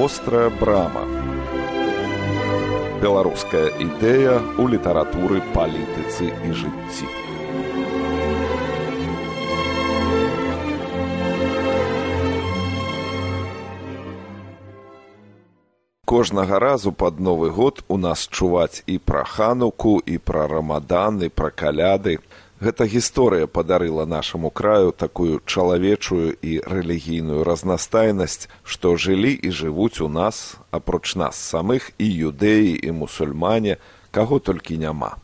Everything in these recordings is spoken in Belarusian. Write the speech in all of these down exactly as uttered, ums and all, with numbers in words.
Вострая брама. Беларуская ідэя ў літаратуры, палітыцы і жыцці. Кожнага разу пад Новы год у нас чуваць і пра Хануку, і пра Рамадан, і пра каляды. Гэта гісторыя падарыла нашаму краю такую чалавечую і рэлігійную разнастайнасць, што жылі і жывуць у нас, апроч нас самых, і юдэі, і мусульмане, каго толькі няма.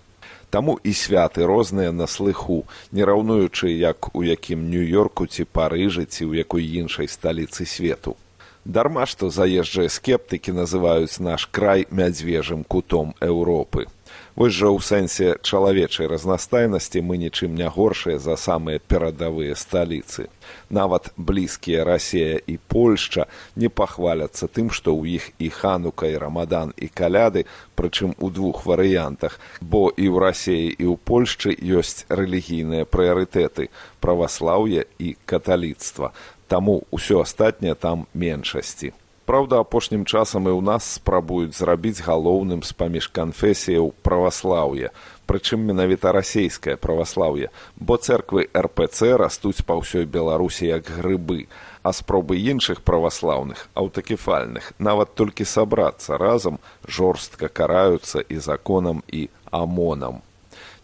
Таму і святы розныя на слыху, не раўнуючы, як у якім Нью-Йорку ці Парыжы, ці ў якой іншай сталіцы свету. Дарма, што заезджыя скептыкі называюць наш край мядзвежым кутом Еўропы. Вось жа ў сэнсе чалавечай разнастайнасці мы нічым не горшыя за самыя перадавыя сталіцы. Нават блізкія Расія і Польшча не пахваляцца тым, што ў іх і Ханука, і Рамадан, і каляды, прычым у двух варыянтах, бо і ў Расіі, і ў Польшчы ёсць рэлігійныя прыярытэты – праваслаўе і каталіцтва. Таму ўсё астатняе там меншасці. Праўда, апошнім часам і ў нас спрабуюць зрабіць галоўным з-паміж канфесіяў праваслаўе, прычым менавіта расейскае праваслаўе, бо цэрквы эр пэ цэ растуць па ўсёй Беларусі як грыбы, а спробы іншых праваслаўных, аўтакефальных, нават толькі сабрацца разам, жорстка караюцца і законам, і амонам.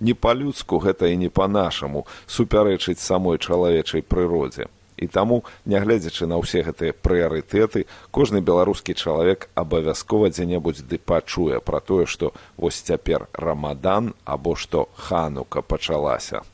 Не па-людску гэта і не па-нашаму супярэчыць самой чалавечай прыродзе. І таму, нягледзячы на ўсе гэтыя прыярытэты, кожны беларускі чалавек абавязкова дзе-небудзь ды пачуе пра тое, што вось цяпер Рамадан або што Ханука пачалася.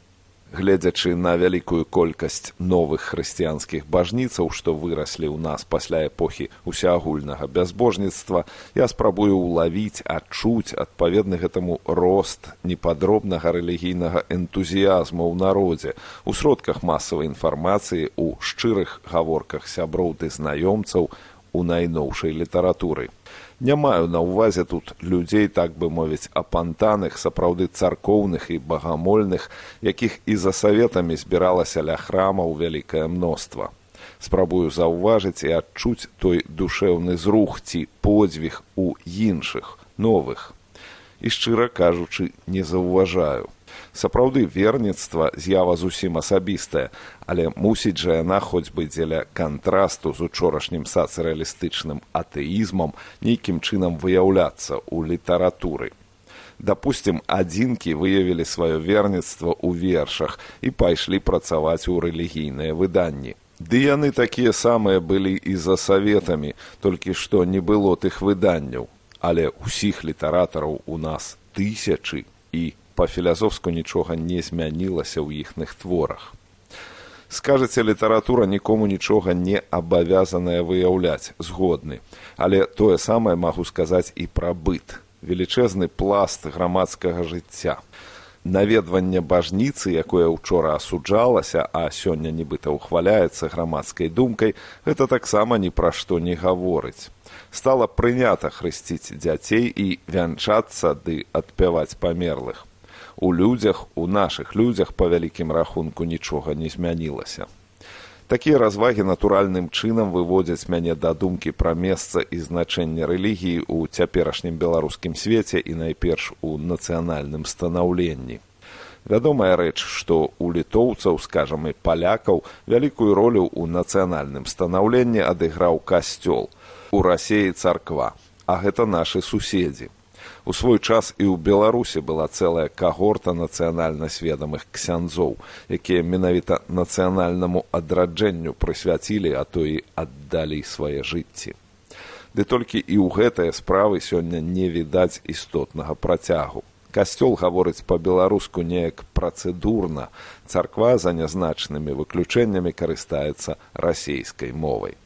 Гледзячы на вялікую колькасць новых хрысціянскіх бажніцаў, што выраслі ў нас пасля эпохі усеагульнага бязбожніцтва, я спрабую ўлавіць, адчуць адпаведны гэтаму рост непадробнага рэлігійнага энтузіязму ў народзе, у сродках масавай інфармацыі, у шчырых гаворках сяброў ды знаёмцаў, у найноўшай літаратуры. Не маю на ўвазе тут людзей, так бы мовіць, апантаных, сапраўды царкоўных і багамольных, якіх і за саветамі збіралася ля храмаў вялікае мноства. Спрабую заўважыць і адчуць той душэўны зрух ці подзвіг у іншых, новых. І, шчыра кажучы, не заўважаю. Сапраўды, верніцтва з'ява зусім асабістая, але мусіць жа яна хоць бы дзеля кантрасту з учорашнім сацыялістычным атэізмам нейкім чынам выяўляцца ў літаратуры. Дапусцім, адзінкі выявілі сваё верніцтва ў вершах і пайшлі працаваць у рэлігійныя выданні. Ды яны такія самыя былі і за саветамі, толькі што не было тых выданняў, але ўсіх літаратараў у нас тысячы і па-філазофску нічога не змянілася ў іхных творах. Скажаце, літаратура нікому нічога не абавязаная выяўляць, згодны. Але тое самае магу сказаць і пра быт. Велічэзны пласт грамадскага жыцця. Наведванне бажніцы, якое ўчора асуджалася, а сёння нібыта ўхваляецца грамадскай думкай, гэта таксама ні пра што не гаворыць. Стала прынята хрысціць дзяцей і вянчацца ды адпяваць памерлых. У людзях, у нашых людзях, па вялікім рахунку, нічога не змянілася. Такія развагі натуральным чынам выводзяць мяне да думкі пра месца і значэнне рэлігіі ў цяперашнім беларускім свеце і найперш у нацыянальным станаўленні. Вядомая рэч, што у літоўцаў, скажам, і палякаў, вялікую ролю ў нацыянальным станаўленні адыграў касцёл, у Расіі царква, а гэта нашы суседзі. У свой час і ў Беларусі была цэлая кагорта нацыянальна сведамых ксяндзоў, якія менавіта нацыянальнаму адраджэнню прысвяцілі, а то і аддалі свае жыцці. Ды толькі і ў гэтыя справы сёння не відаць істотнага працягу. Касцёл гаворыць па-беларуску неяк працэдурна, царква за нязначнымі выключэннямі карыстаецца расейскай мовай.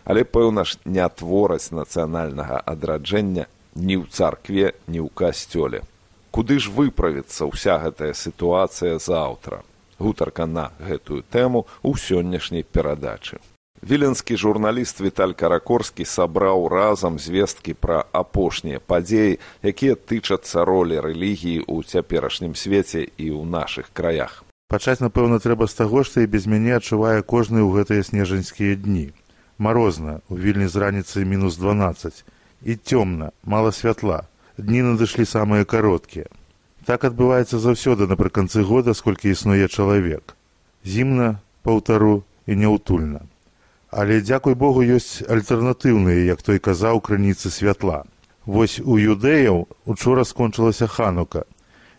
Але, пэўна ж, не твораць нацыянальнага адраджэння ні ў царкве, ні ў касцёле. Куды ж выправіцца ўся гэтая сітуацыя заўтра? Гутарка на гэтую тэму ў сённяшняй перадачы. Віленскі журналіст Віталь Каракорскі сабраў разам звесткі пра апошнія падзеі, якія тычацца ролі рэлігіі ў цяперашнім свеце і ў нашых краях. Пачаць, напэўна, трэба з таго, што і без мяне адчувае кожны ў гэтыя снежаньскія дні. Марозна, у Вільні з раніцы мінус дванаццаць. І цёмна, мала святла. Дні надышлі самыя кароткія. Так адбываецца заўсёды напрыканцы года, сколькі існуе чалавек. Зімна, паўтару і няўтульна. Але, дзякуй Богу, ёсць альтэрнатыўныя, як той казаў, крыніцы святла. Вось у юдэяў учора скончылася Ханука,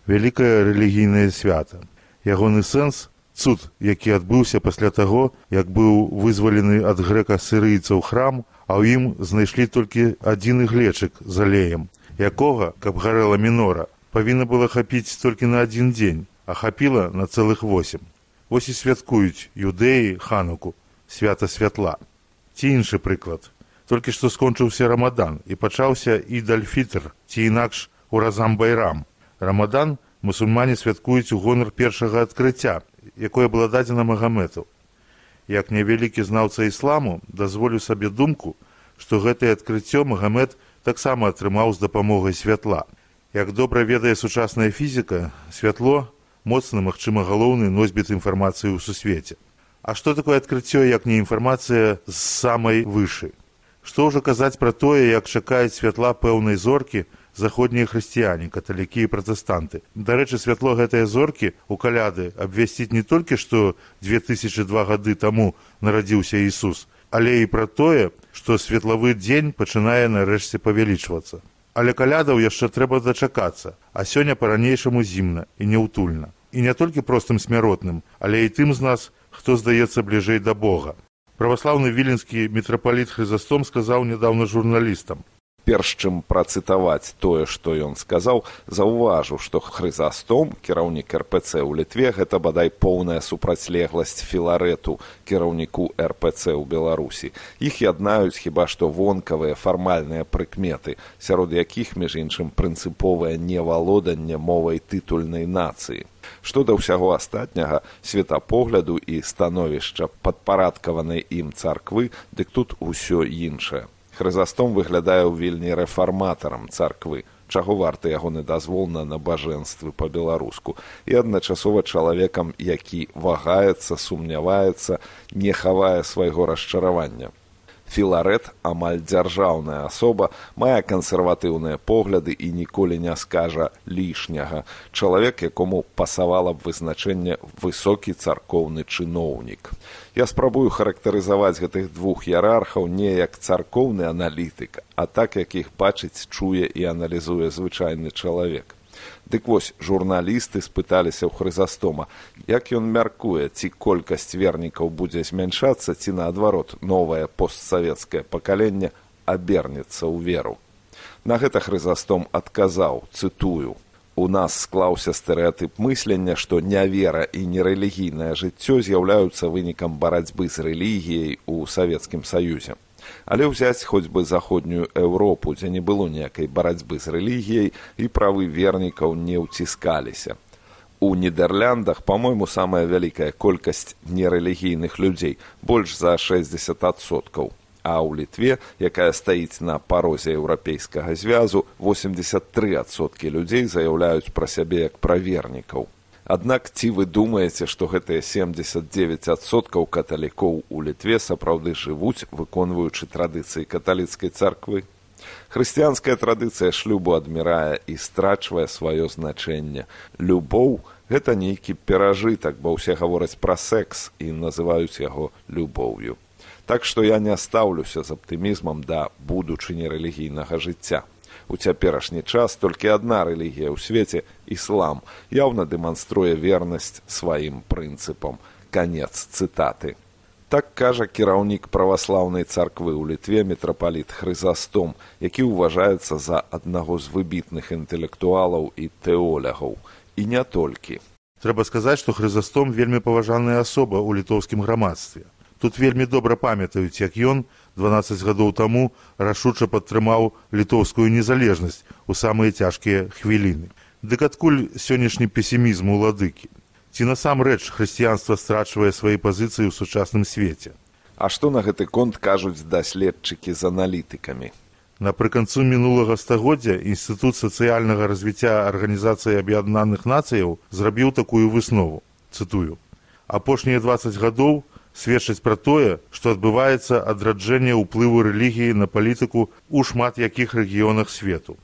вялікае рэлігійнае свята. Ягоны сэнс – цуд, які адбыўся пасля таго, як быў вызвалены ад грэка-сірыйцаў храм, а ў ім знайшлі толькі адзін іглечык з алеем, якога, каб гарэла мінора, павінна было хапіць толькі на адзін дзень, а хапіла на цэлых восем. Вось і святкуюць юдэі Хануку, свята святла. Ці іншы прыклад. Толькі што скончыўся Рамадан і пачаўся Ід-аль-Фітр, ці інакш Уразам-Байрам. Рамадан мусульмане святкуюць у гонар першага адкрыцця, якое было дадзена Магамэту. Як невялікі знаўца ісламу, дазволю сабе думку, што гэтае адкрыццё Магамэт таксама атрымаў з дапамогай святла. Як добра ведае сучасная фізіка, святло – моцны, магчыма, галоўны носьбіт інфармацыі ў сусвеце. А што такое адкрыццё, як не інфармацыя з самай вышы? Што ўжо казаць пра тое, як чакаюць святла пэўнай зоркі заходнія хрысціяне, каталікі і пратэстанты. Дарэчы, святло гэтыя зоркі у каляды абвясціць не толькі, што дзве тысячы два гады таму нарадзіўся Ісус, але і пра тое, што светлавы дзень пачынае нарэшце павялічвацца. Але калядаў яшчэ трэба дачакацца, а сёння па-ранейшаму зімна і няўтульна. І не толькі простым смяротным, але і тым з нас, хто здаецца бліжэй да Бога. Праваслаўны віленскі мітрапаліт Хрызастом сказаў нядаўна журналістам. Перш чым працытаваць тое, што ён сказаў, заўважу, што Хрызастом, кіраўнік эр пэ цэ ў Літве, гэта бадай поўная супрацьлегласць Філарэту, кіраўніку эр пэ цэ ў Беларусі. Іх яднаюць хіба што вонкавыя фармальныя прыкметы, сярод якіх, між іншым, прынцыповае невалоданне мовай тытульнай нацыі. Што да ўсяго астатняга, светапогляду і становішча падпарадкаванай ім царквы, дык тут усё іншае. Хрызастом выглядае ў Вільні рэфарматарам царквы, чаго варты ягоны дазвол на набажэнствы па-беларуску, і адначасова чалавекам, які вагаецца, сумняваецца, не хавае свайго расчаравання. Філарэт, амаль дзяржаўная асоба, мае кансерватыўныя погляды і ніколі не скажа лішняга. Чалавек, якому пасавала б вызначэнне высокі царкоўны чыноўнік. Я спрабую характарызаваць гэтых двух іерархаў не як царкоўны аналітык, а так, як іх бачыць, чуе і аналізуе звычайны чалавек. Дык вось, журналісты спыталіся ў Хрызастома, як ён мяркуе, ці колькасць вернікаў будзе змяншацца, ці наадварот, новае постсавецкае пакаленне абернецца ў веру. На гэта Хрызастом адказаў, цытую: «У нас склаўся стэрэатып мыслення, што нявера і нерэлігійнае жыццё з'яўляюцца вынікам барацьбы з рэлігіяй у Савецкім Саюзе. Але ўзяць хоць бы заходнюю Еўропу, дзе не было ніякай барацьбы з рэлігіяй і правы вернікаў не ўціскаліся. У Нідэрляндах, па-мойму, самая вялікая колькасць нерэлігійных людзей, больш за шэсцьдзесят адсоткаў. А ў Літве, якая стаіць на парозе еўрапейскага звязу, восемьдесят три адсоткі людзей заяўляюць пра сябе як пра вернікаў. Аднак ці вы думаеце, што гэтыя семьдесят девять адсоткаў каталікоў у Літве сапраўды жывуць, выконваючы традыцыі каталіцкай царквы? Хрысціянская традыцыя шлюбу адмірае і страчвае сваё значэнне. Любоў – гэта нейкі перажытак, бо ўсе гавораць пра секс і называюць яго любоўю. Так што я не стаўлюся з аптымізмам да будучыні рэлігійнага жыцця. У цяперашні час толькі адна рэлігія ў свеце – іслам, яўна дэманструе вернасць сваім прынцыпам. Канец цытаты. Так кажа кіраўнік праваслаўнай царквы ў Літве мітрапаліт Хрызастом, які ўважаецца за аднаго з выбітных інтэлектуалаў і тэолягаў. І не толькі. Трэба сказаць, што Хрызастом вельмі паважаная асоба ў літоўскім грамадстве. Тут вельмі добра памятаюць, як ён дванаццаць гадоў таму рашуча падтрымаў літоўскую незалежнасць у самыя цяжкія хвіліны. Дык адкуль сённяшні песімізм уладыкі? Ці насамрэч хрысціянства страчвае свае пазіцыі ў сучасным свеце? А што на гэты конт кажуць даследчыкі з аналітыкамі? Напрыканцу мінулага стагоддзя Інстытут сацыяльнага развіцця Арганізацыі Аб'яднаных Нацыяў зрабіў такую выснову, цытую: «Апошнія дваццаць гадоў сведчаць пра тое, што адбываецца адраджэнне ўплыву рэлігіі на палітыку ў шмат якіх рэгіёнах свету.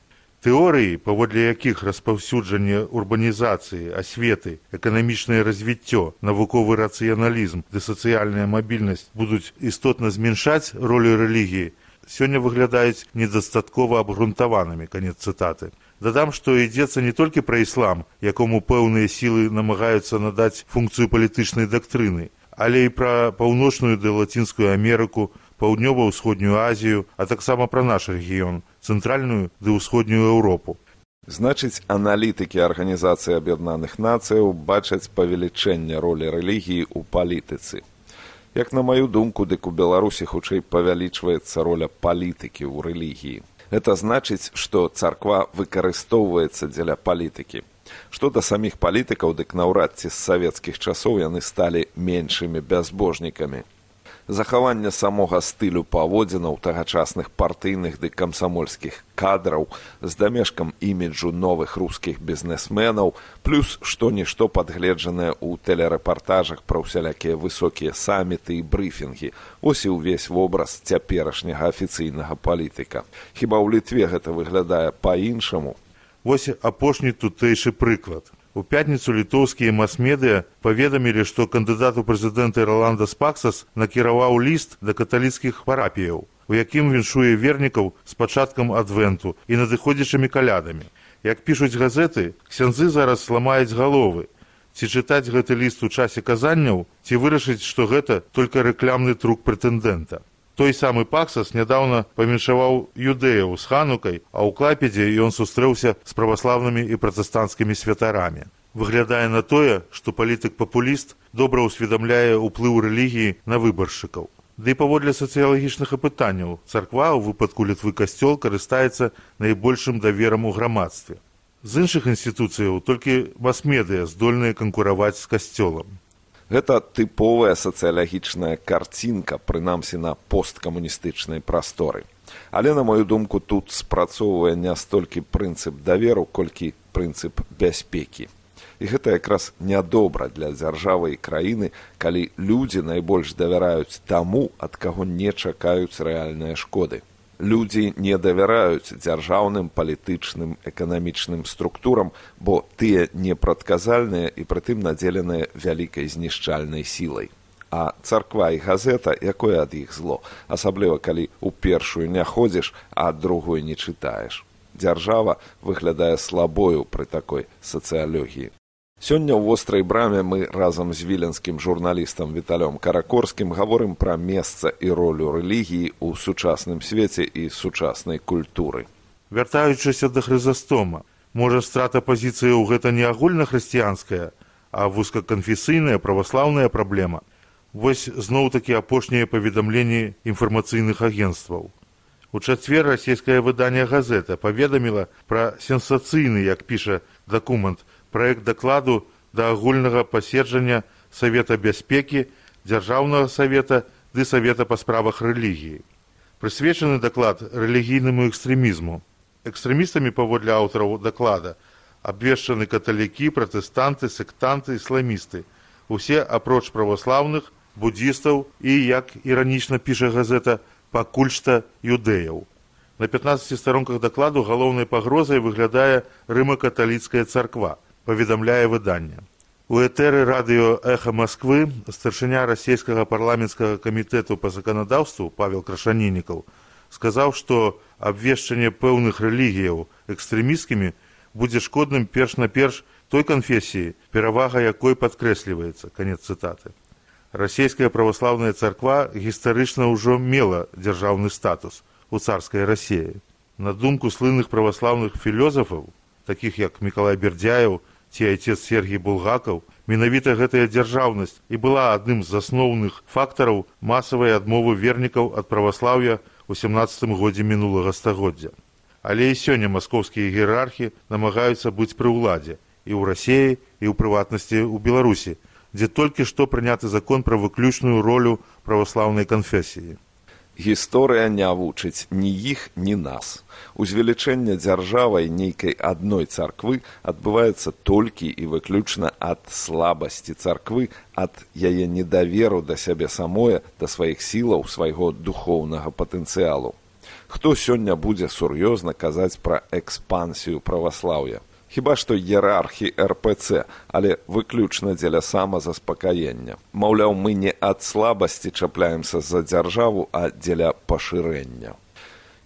Тэорыі, паводле якіх распаўсюджанне урбанізацыі, асветы, эканамічнае развіццё, навуковы рацыяналізм ды сацыяльная мабільнасць будуць істотна зменшаць ролю рэлігіі, сёння выглядаюць недастаткова абгрунтаванымі, канец цытаты. Дадам, што ідзецца не толькі пра іслам, якому пэўныя сілы намагаюцца надаць функцыю палітычнай дактрыны, але і пра паўночную ды лацінскую Амерыку, паўднёва-ўсходнюю Азію, а таксама пра наш рэгіён, цэнтральную ды ўсходнюю Еўропу. Значыць, аналітыкі Арганізацыі Аб'яднаных Нацыяў бачаць павелічэнне ролі рэлігіі ў палітыцы. Як на маю думку, дык у Беларусі хутчэй павялічваецца роля палітыкі ў рэлігіі. Гэта значыць, што царква выкарыстоўваецца дзеля палітыкі. Што да саміх палітыкаў, дык наўрад ці з савецкіх часоў яны сталі меншымі бязбожнікамі. Захаванне самога стылю паводзінаў тагачасных партыйных ды камсамольскіх кадраў з дамешкам іміджу новых рускіх бізнесменаў, плюс што-нішто падгледжанае ў тэлерэпартажах пра ўсялякія высокія саміты і брыфінгі. Ось і ўвесь вобраз цяперашняга афіцыйнага палітыка. Хіба ў Літве гэта выглядае па-іншаму? Вось апошні тутэйшы прыклад. У пятніцу літоўскія мас-медыя паведамілі, што кандыдат у прэзідэнты Роландас Паксас накіраваў ліст да каталіцкіх парапіяў, у якім віншуе вернікаў з пачаткам адвенту і надыходзячымі калядамі. Як пішуць газеты, ксяндзы зараз ламаюць галовы. Ці чытаць гэты ліст у часе казанняў, ці вырашыць, што гэта толькі рэклямны трук прэтэндэнта. Той самы Паксас нядаўна памяншаваў юдэяў з ханукай, а ў Клайпедзе ён сустрэўся з праваслаўнымі і пратэстанцкімі святарамі. Выглядае на тое, што палітык-папуліст добра ўсведамляе ўплыў рэлігіі на выбаршчыкаў. Ды і паводле сацыялагічных апытанняў, царква, у выпадку Літвы касцёл, карыстаецца найбольшым даверам у грамадстве. З іншых інстытуцыяў толькі мас-медыя здольныя канкураваць з касцёлам. Гэта тыповая сацыялагічная карцінка, прынамсі на посткамуністычнай прасторы. Але, на мою думку, тут спрацоўвае не столькі прынцып даверу, колькі прынцып бяспекі. І гэта якраз нядобра для дзяржавы і краіны, калі людзі найбольш давяраюць таму, ад каго не чакаюць рэальныя шкоды. Людзі не давяраюць дзяржаўным, палітычным, эканамічным структурам, бо тыя непрадказальныя і прытым надзеленыя вялікай знішчальнай сілай. А царква і газета, якое ад іх зло, асабліва калі ў першую не ходзіш, а ад другой не чытаеш. Дзяржава выглядае слабою пры такой сацыялогіі. Сёння ў вострай браме мы разам з віленскім журналістам Віталём Каракорскім гаворым пра месца і ролю рэлігіі ў сучасным свеце і сучаснай культуры. Вяртаючыся да Хрызастома, можа страта пазіцыяў гэта не агульнахрысціянская, а вузкаканфесійная праваслаўная праблема. Вось зноў-такі апошнія паведамленні інфармацыйных агенцтваў. У чацвер расійскае выданне «Газета» паведаміла пра сенсацыйны, як піша дакумент, праект дакладу да агульнага паседжання Савета бяспекі, Дзяржаўнага савета ды Савета па справах рэлігіі. Прысвечаны даклад рэлігійнаму экстрэмізму. Экстрэмістамі, паводле аўтараў даклада, абвешчаны каталікі, пратэстанты, сектанты, ісламісты. Усе апроч праваслаўных, буддзістаў і, як іранічна піша газета, пакуль што юдэяў. На пятнаццаці старонках дакладу галоўнай пагрозай выглядае рыма-каталіцкая царква, паведамляе выданне. У этэры радыё «Эхо Москвы» старшыня расійскага парламенцкага камітэту па заканадаўству Павел Крашанінікаў сказаў, што абвешчанне пэўных рэлігіяў экстрэмісткімі будзе шкодным перш-наперш той канфесіі, перавага якой падкрэсліваецца, канец цытаты. Расійская праваслаўная царква гістарычна ўжо мела дзяржаўны статус у царскай Расіі. На думку слынных праваслаўных філёзафаў, такіх як Мікалай Бердзяеў ці айцец Сергій Булгакаў, менавіта гэтая дзяржаўнасць і была адным з асноўных фактараў масавай адмовы вернікаў ад праваслаўя ў сямнаццатым годзе мінулага стагоддзя. Але і сёння маскоўскія іерархі намагаюцца быць пры ўладзе і ў Расіі, і ў прыватнасці ў Беларусі, дзе толькі што прыняты закон пра выключную ролю праваслаўнай канфесіі. Гісторыя не вучыць ні іх, ні нас. Узвелічэнне дзяржавай нейкай адной царквы адбываецца толькі і выключна ад слабасці царквы, ад яе недаверу да сябе самое, да сваіх сілаў, свайго духоўнага патэнцыялу. Хто сёння будзе сур'ёзна казаць пра экспансію праваслаўя? Хіба што іерархі эр пэ цэ, але выключна дзеля самазаспакаення. Маўляў, мы не ад слабасці чапляемся за дзяржаву, а дзеля пашырэння.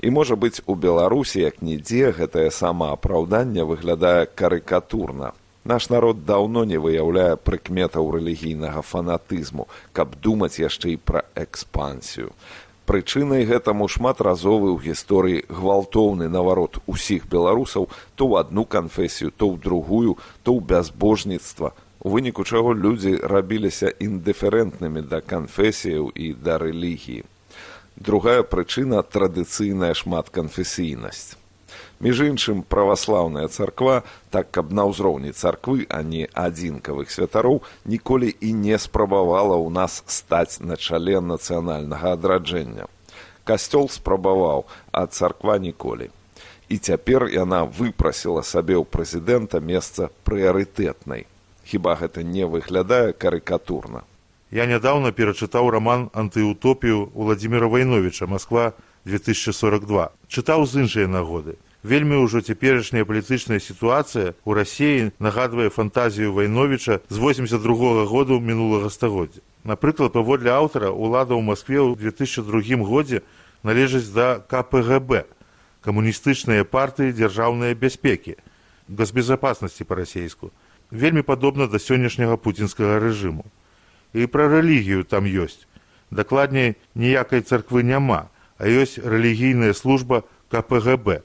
І, можа быць, у Беларусі, як нідзе, гэтае самаапраўданне выглядае карыкатурна. Наш народ даўно не выяўляе прыкметаў рэлігійнага фанатызму, каб думаць яшчэ і пра экспансію. Прычынай гэтаму шматразовы ў гісторыі гвалтоўны наварот усіх беларусаў то ў адну канфесію, то ў другую, то ў бязбожніцтва, у выніку чаго людзі рабіліся індыферэнтнымі да канфесіяў і да рэлігіі. Другая прычына – традыцыйная шматканфесійнасць. Між іншым, праваслаўная царква, так каб на ўзроўні царквы, а не адзінкавых святароў, ніколі і не спрабавала ў нас стаць на чале нацыянальнага адраджэння. Касцёл спрабаваў, а царква ніколі. І цяпер яна выпрасіла сабе ў прэзідэнта месца прыярытэтнай. Хіба гэта не выглядае карыкатурна? Я нядаўна перачытаў раман «Антыутопію» Уладзіміра Вайновіча «Масква две тысячи сорок два». Чытаў з іншай нагоды. Вельмі ўжо цяперашняя палітычная сітуацыя ў Расіі нагадвае фантазію Вайновіча з восемьдесят другога году мінулага стагоддзя. Напрыклад, паводле аўтара, улада ў Маскве ў две тысячи другім годзе належыць да ка пэ гэ бэ, камуністычныя партыі дзяржаўнай бяспекі, госбезапаснасці па-расейску. Вельмі падобна да сённяшняга пуцінскага рэжыму. І пра рэлігію там ёсць. Дакладней, ніякай царквы няма, а ёсць рэлігійная служба ка пэ гэ бэ,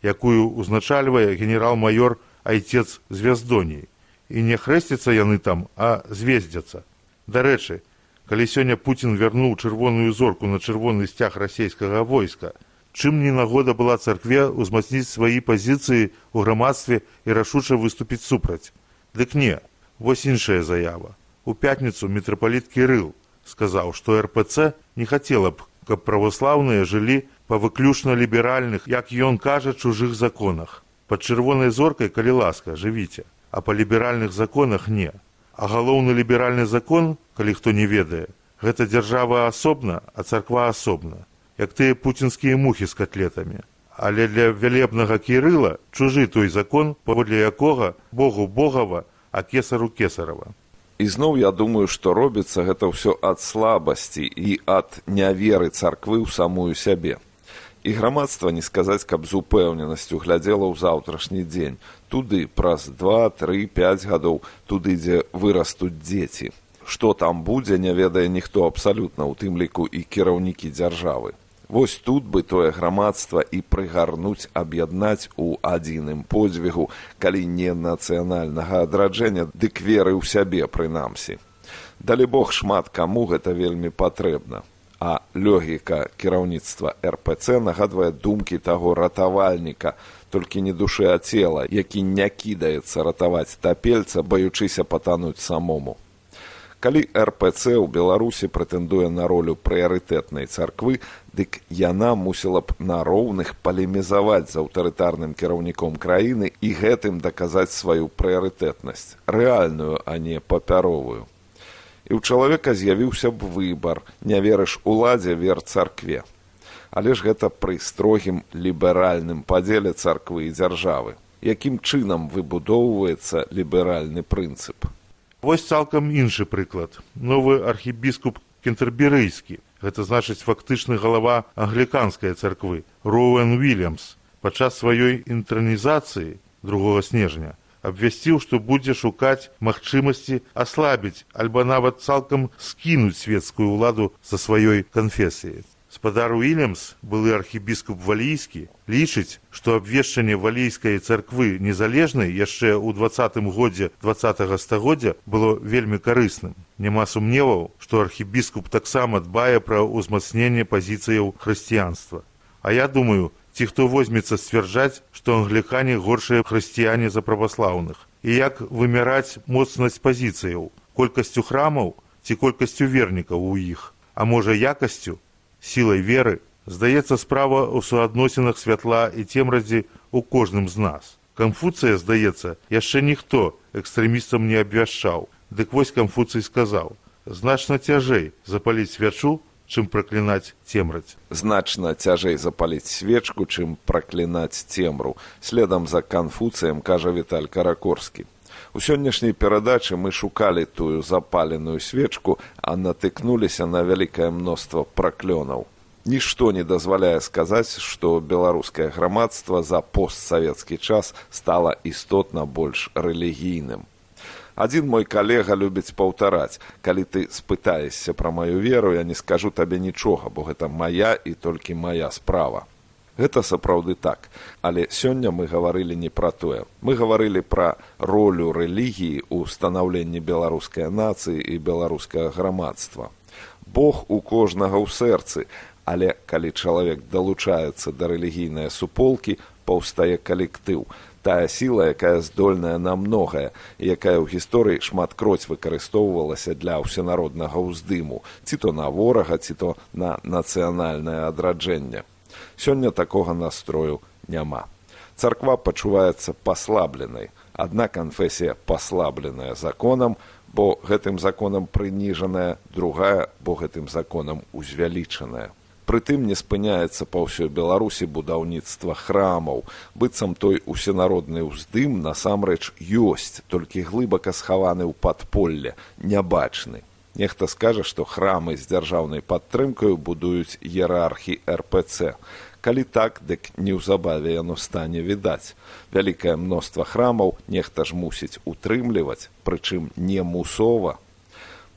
якую узначальвае генерал-майор Айцец Звяздоній. І не хрэсцяцца яны там, а звездзяцца. Дарэчы, калі сёння Пуцін вярнуў чырвоную зорку на чырвоны сцяг расейскага войска, чым не нагода была царкве ўзмацніць свае пазіцыі ў грамадстве і рашуча выступіць супраць? Дык не, вось іншая заява. У пятніцу мітрапаліт Кірыл сказаў, што эр пэ цэ не хацела б, каб праваслаўныя жылі па выключна ліберальных, як ён кажа, чужых законах. Пад чырвонай зоркай, калі ласка, жывіце, а па ліберальных законах не. А галоўны ліберальны закон, калі хто не ведае, гэта дзяржава асобна, а царква асобна, як тыя пуцінскія мухі з котлетамі. Але для вялебнага Кірыла чужы той закон, паводле якога Богу Богава, а кесару кесарава. І зноў я думаю, што робіцца гэта ўсё ад слабасці і ад няверы царквы ў самую сябе. І грамадства, не сказаць, каб з упэўненасцю глядзела ў заўтрашні дзень. Туды праз два, тры, пяць гадоў, туды, дзе вырастуць дзеці. Што там будзе, не ведае ніхто абсалютна, у тым ліку і кіраўнікі дзяржавы. Вось тут бы тое грамадства і прыгарнуць, аб'яднаць у адзіным подзвігу, калі не нацыянальнага адраджэння, дык веры ў сябе прынамсі. Далі Бог, шмат каму гэта вельмі патрэбна. А логіка кіраўніцтва эр пэ цэ нагадвае думкі таго ратавальніка, толькі не душы, а цела, які не кідаецца ратаваць тапельца, баючыся патануць самому. Калі эр пэ цэ ў Беларусі прэтэндуе на ролю прыярытэтнай царквы, дык яна мусіла б на роўных палемізаваць з аўтарытарным кіраўніком краіны і гэтым даказаць сваю прыярытэтнасць, рэальную, а не папяровую. І ў чалавека з'явіўся б выбар, не верыш уладзе, вер царкве. Але ж гэта пры строгім ліберальным падзеле царквы і дзяржавы. Якім чынам выбудоўваецца ліберальны прынцып? Вось цалкам іншы прыклад. Новы архібіскуп кентэрберыйскі, гэта значыць фактычны галава англіканскай царквы, Роуэн Уільямс, падчас сваёй інтранізацыі другога снежня абвясціў, што будзе шукаць магчымасці аслабіць альбо нават цалкам скінуць свецкую ўладу са сваёй канфесіі. Спадар Уільямс, былы архібіскуп валійскі, лічыць, што абвешчанне валійскай царквы незалежнай яшчэ ў дваццатым годзе дваццатага стагоддзя было вельмі карысным. Няма сумневаў, што архібіскуп таксама дбае пра ўзмацненне пазіцыяў хрысціянства. А я думаю, ці хто возьмецца сцвярджаць, што англікане горшыя хрысціяне за праваслаўных. І як вымяраць моцнасць пазіцыяў, колькасцю храмаў ці колькасцю вернікаў у іх, а можа якасцю, сілай веры, здаецца, справа ў суадносінах святла і цемразі ў кожным з нас. Канфуцыя, здаецца, яшчэ ніхто экстрэмістам не абвяшчаў. Дык вось Канфуцый сказаў: значна цяжэй запаліць свячу, чым праклінаць цемраць. Значна цяжэй запаліць свечку, чым праклінаць цемру. Следам за Канфуцыем кажа Віталь Каракорскі. У сённяшняй перадачы мы шукалі тую запаленую свечку, а натыкнуліся на вялікае мноства праклёнаў. Нішто не дазваляе сказаць, што беларускае грамадства за постсавецкі час стала істотна больш рэлігійным. Адзін мой калега любіць паўтараць: калі ты спытаешся пра маю веру, я не скажу табе нічога, бо гэта мая і толькі мая справа. Гэта сапраўды так, але сёння мы гаварылі не пра тое. Мы гаварылі пра ролю рэлігіі ў станаўленні беларускай нацыі і беларускага грамадства. Бог у кожнага ў сэрцы, але калі чалавек далучаецца да рэлігійнай суполкі, паўстае калектыў. Тая сіла, якая здольная на многае, і якая ў гісторыі шматкроць выкарыстоўвалася для ўсенароднага ўздыму, ці то на ворага, ці то на нацыянальнае адраджэнне. Сёння такога настрою няма. Царква пачуваецца паслабленай. Адна канфесія паслабленая законам, бо гэтым законам прыніжаная, другая, бо гэтым законам узвялічаная. Прытым не спыняецца па ўсёй Беларусі будаўніцтва храмаў. Быццам той усенародны ўздым насамрэч ёсць, толькі глыбака схаваны ў падполле, нябачны. Нехта скажа, што храмы з дзяржаўнай падтрымкаю будуюць іерархі эр пэ цэ. Калі так, дык неўзабаве яно стане відаць. Вялікае мноства храмаў нехта ж мусіць утрымліваць, прычым не мусова.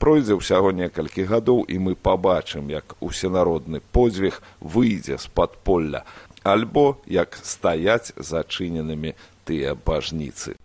Пройдзе ўсяго некалькі гадоў, і мы пабачым, як усенародны подзвіг выйдзе з падполля, альбо як стаяць зачыненымі тыя бажніцы.